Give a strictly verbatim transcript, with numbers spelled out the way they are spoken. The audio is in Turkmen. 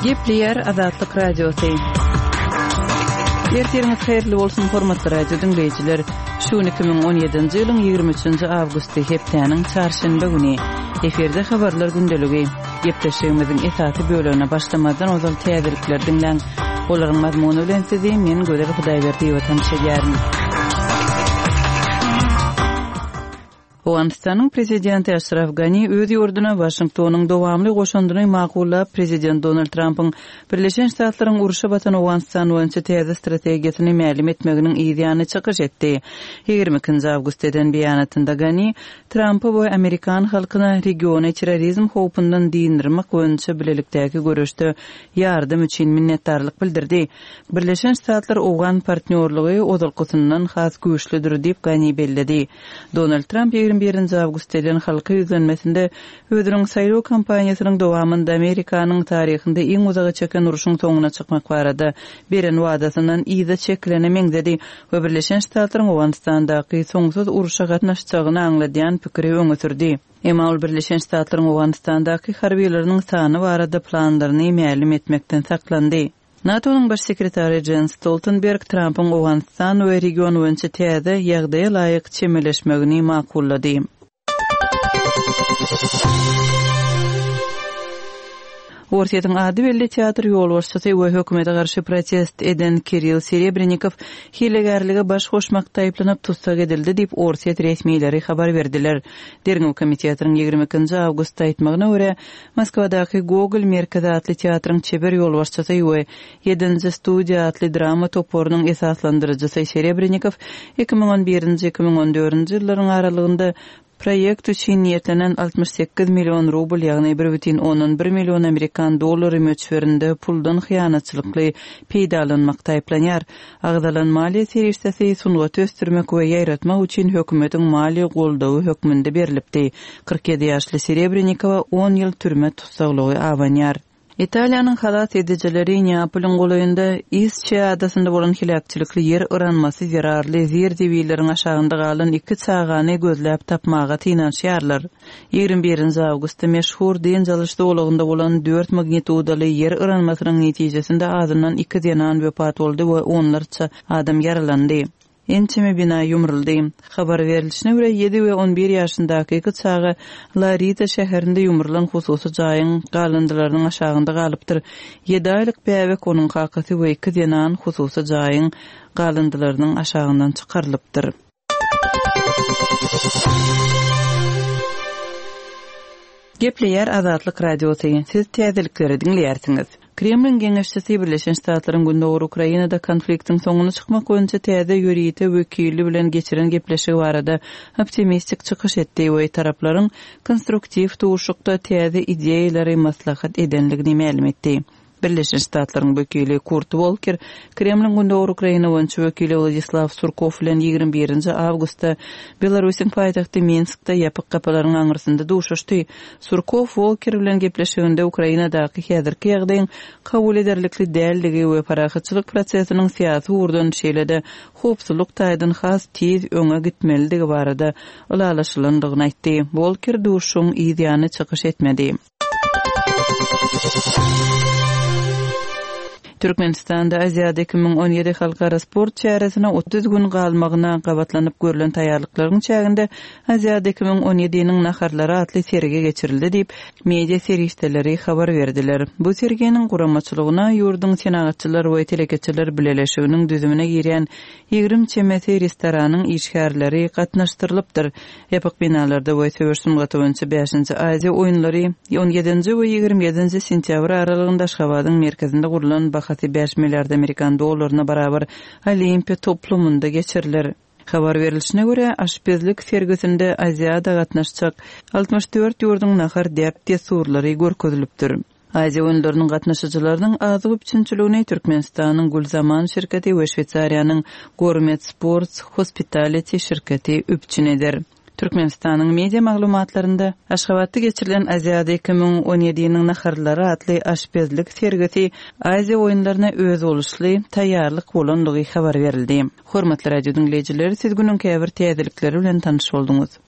Gepleýär Azatlyk Radiosy. Ertiriňiz haýyrly bolsun, hormatly radio diňleýjiler. Şu gün iki müň on ýedinji ýylyň ýigrimi üçünji awgusty, hepdäniň çarşenbe güni. Efirde habarlar gündeligi. Gepleşigimiziň esasy bölegine başlamazdan ozal täzelikleri diňläň. Olaryň mazmuny bilen sizi men Gözel Hudaýberdiýewa tanyş edýärin. Owganystanyň prezidenti Aşraf Gani öz ýurduna Waşingtonyň dowamly goşandyny makullap, prezident Donald Trampyň Birleşen Ştatlaryň urşa batan Owganystan boýunça täze strategiýasyny mälim etmeginiň yz ýany çykyş etdi. Ýigrimi ikinji awgustda eden beýanatynda Gani Trampa we amerikan halkyna regiony terrorizm howpundan dynyrmak boýunça bilelikdäki göreşde ýardam üçin minnetdarlyk bildirdi. Birleşen Ştatlar owgan partnýorlygy ozalkysyndan has güýçlüdir diýip Gani belledi. Donald Tramp ýigrimi birinji awgustda eden halka ýüzlenmesinde özüniň saýlaw kampaniýasynyň dowamynda Amerikanyň taryhynda iň uzaga çeken urşuň soňuna çykmak barada beren wadasyndan yza çekilene meňzedi we Birleşen Ştatlaryň Owganystandaky soňsuz urşa gatnaşjagyny aňladýan pikiri öňe sürdi. Emma ol Birleşen Ştatlaryň Owganystandaky harbylarynyň sany barada planlaryny mälim etmekden saklandy. NATO-nyň baş sekretary Jens Stoltenberg Trampyň Owganystan we region boýunça täze ýagdaýa laýyk çemeleşmegini makullady. Orsýetiň ady belli teatr ýolbaşçysy we hökümete garşy protest eden Kirill Serebrennikow hilegärlige baş goşmakda aýyplanyp tussag edildi diýip Orsýet resmileri habar berdiler. Derňew komitetiniň ýigrimi ikinji awgustda aýtmagyna görä, Moskwadaky Gogol merkezi atly teatryň çeber ýolbaşçysy we ýedinji studiýa atly drama toparynyň esaslandyryjysy Serebrennikow iki müň on birinji, iki müň on dördünji ýyllaryň aralygynda proýekt üçin niýetlenen altmyş sekiz million rubl, ýagny bir bütin ondan bir million amerikan dollary möçberinde puldan hyýanatçylykly peýdalanmakda aýyplanýar. Agzalan maliýe serişdesi sungaty ösdürmek we ýaýratmak üçin hökümetiň maliýe goldawy hökmünde berilipdi. Kyrk ýedi ýaşly Serebrennikowa on ýyl türme tussaglygy abanýar. Italiýanyň halas edijileri Neapolyň golaýynda Isçe adasynda bolan heläkçilikli ýer yranmasy zerarly zir-zibilleriň aşagynda galan iki çagany gözläp tapmaga synanyşýarlar. Ýigrimi birinji awgustda meşhur dynç alyş zolagynda bolan dört magnitudaly ýer yranmasynyň netijesinde azyndan iki zenan wepat boldy we onlarça adam ýaralandy. Ençeme bina ýumruldy. Habar berilişine görä ýedi we on bir ýaşyndaky iki çaga Larita şäherinde ýumrulan hususy jaýyň galyndylarynyň aşagynda galypdyr. Ýedi aýlyk bäbek onuň kakasy we iki zenan hususy jaýyň galyndylarynyň aşagyndan çykarylypdyr. Gepleýär Azatlyk Radiosy. Siz täzelikleri diňleýärsiňiz. Kremliň geňeşçisi Birleşen Ştatlaryň Gündogar Ukrainada konfliktiň soňuna çykmak boýunça täze ýörite wekili bilen geçiren gepleşigi barada optimistik çykyş etdi we taraplaryň konstruktiw duşuşykda täze ideýalary maslahat edenligini mälim etdi. Birleşen Ştatlaryň wekili Kurt Volker Kremliň Gündogar Ukraina boýunça wekili Wladislaw Surkov bilen ýigrimi birinji awgustda Belarusyň paýtagty Minskde ýapyk gapalaryň aňyrsynda duşuşdy. Surkov Volker bilen gepleşiginde Ukrainadaky häzirki ýagdaýyň kabul ederlikli dälligi we parahatçylyk prosesiniň syýasy ugurdan şeýle-de howpsuzlyk taýdan has tiz öňe gitmelidigi barada ylalaşylandygyny aýtdy. Volker duşuşygyň yz ýany çykyş etmedi. Türkmenistanda Aziýada iki müň on ýedi halkara sport çäresine otuz gün galmagyna gabatlanyp görülen taýýarlyklaryň çäginde Aziýada iki müň on ýediniň naharlary atly sergi geçirildi diýip, media serişdeleri habar berdiler. Bu serginiň guramaçylygyna ýurduň senagatçylar we telekeçiler bileleşiginiň düzümine girýän ýigrimi çemesi restoranyň işgärleri gatnaşdyrylypdyr. Ýapyk binalarda we söweş sungaty boýunça bäşinji Aziýa oýunlary on ýedinji we ýigrimi ýedinji sentýabr aralygynda Aşgabadyň merkezinde gurlan bahasy bäş milliard amerikan dollaryna barabar Olimpiýa toplumynda geçiriler. Habar berilişine görä, aşpezlik sergisinde Aziýada gatnaşjak altmyş dört ýurduň nahar däp-dessurlary görkezilipdir. Aziýa oýunlarynyň gatnaşyjylarynyň azyk üpjünçiligini Türkmenistanyň Gülzaman şirketi we Şweýsariýanyň Gourmet Sports Hospitality şirketi üpjün eder. Türkmenistanyň media maglumatlarynda Aşgabatda geçirilen Aziýada iki müň on ýediniň naharlary atly aşpezlik sergisi Aziýa oýunlaryna özboluşly taýýarlyk bolandygy habar berildi. Hormatly radio diňleýjiler, siz günüň käbir täzelikleri bilen tanyş bolduňyz.